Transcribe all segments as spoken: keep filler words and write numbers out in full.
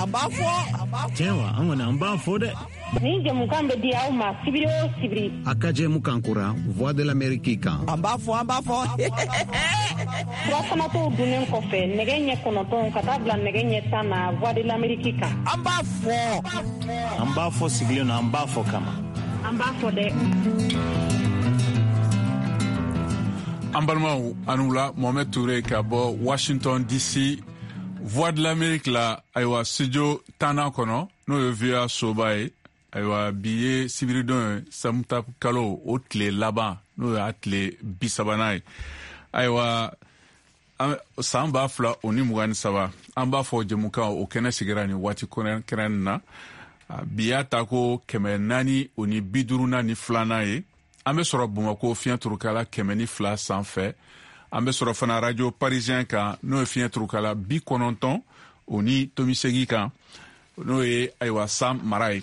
An b'a fɔ. Tiɲɛ wa, an kɔni an b'a fɔ dɛ. Nin jɛmukan bɛ di aw ma sibiri o sibiri. A ka jɛmukan kura Voix de l'Amérique kan. An b'a fɔ, an b'a fɔ. Furafanatɔw dunnen kɔfɛ nɛgɛ ɲɛ kɔnɔntɔn ka taa bila nɛgɛ ɲɛ tan na Voix de l'Amérique kan. An b'a fɔ. An b'a fɔ sigilen na, an b'a fɔ kama. An b'a fɔ dɛ. An balimaw, an wula. Mohamed Touré ka bɔ Washington D C, Voix de l'Amérique la, ayiwa, studio tannan kɔnɔ, n'o ye V O A soba ye. Ayiwa, bi ye sibiridon ye, samuta kalo o tile laban, n'o y'a tile bi sabanan ye. Ayiwa, san ba fila o ni mugan ni saba, an b'a fɔ jɛmukan o kɛnɛ sigira nin waati kɛrɛn na. Bi y'a ta ko kɛmɛ naani o ni bi duurunan ni filanan ye. An bɛ sɔrɔ Bamako fiɲɛ turukala kɛmɛ ni fila sanfɛ. An bɛ sɔrɔ fana Radio Parisien kan, n'o ye fiɲɛ turukala bi kɔnɔntɔn o ni tomi segi kan, n'o ye ayiwa san mara ye.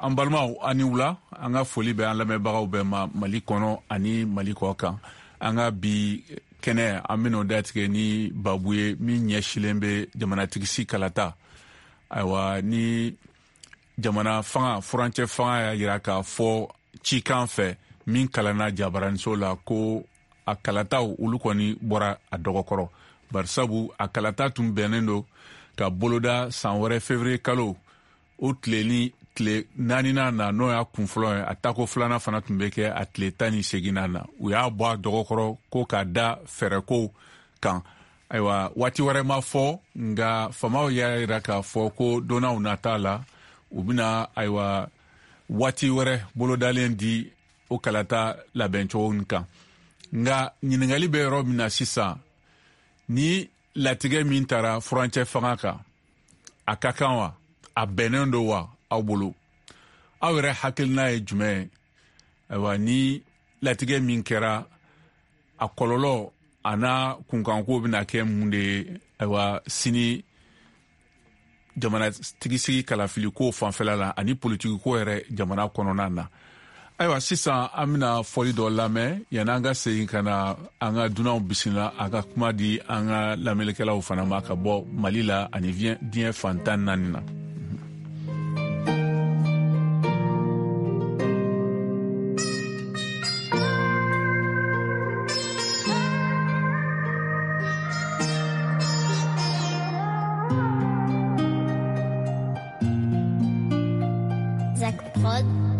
An balimaw, an ni wula. An ka foli bɛ an lamɛnbagaw bɛɛ ma Mali kɔnɔ ani Mali kɔ kan. An ka bi kɛnɛ, an bɛn'o datigɛ ni babu ye min ɲɛsilen bɛ jamanatigisi kalata. Ayiwa, ni jamana fanga, furancɛ fanga y'a yira k'a fɔ cikan fɛ min kalanna jabaraniso la ko a kalataw olu kɔni bɔra a dɔgɔkɔrɔ, barisabu a kalata tun bɛnnen don ka boloda san wɛrɛ février kalo o tile ni tile naaninan na, n'o y'a kun fɔlɔ ye. A tako filanan fana tun bɛ kɛ a tile tan ni seginnan na. U y'a bɔ a dɔgɔkɔrɔ ko k'a da fɛɛrɛkow kan. Ayiwa, waati wɛrɛ ma fɔ, nka faamaw y'a yira k'a fɔ ko donnaw nata la, u bɛna ayiwa waati wɛrɛ bolodalen di o kalata labɛncogo kan. Nka ɲininkali bɛ yɔrɔ min na sisan, ni latigɛ min taara furancɛ fanga kan, a ka kan wa? A bɛnnen don wa aw bolo? Aw yɛrɛ hakilina ye jumɛn ye? Ayiwa, ni latigɛ min kɛra, a kɔlɔlɔ a n'a kunkanko bɛna kɛ mun de ye? Ayiwa, sini jamanatigisigi kalafiliko fanfɛla la ani politikiko yɛrɛ jamana kɔnɔna na. Ayiwa, sisan an bɛna fɔli dɔ lamɛn yanni an ka segin ka na an ka dunanw bisimila, a ka kuma di an ka lamɛnnikɛlaw fana ma ka bɔ Mali la ani diɲɛ fan tan naani na. Zach Prod.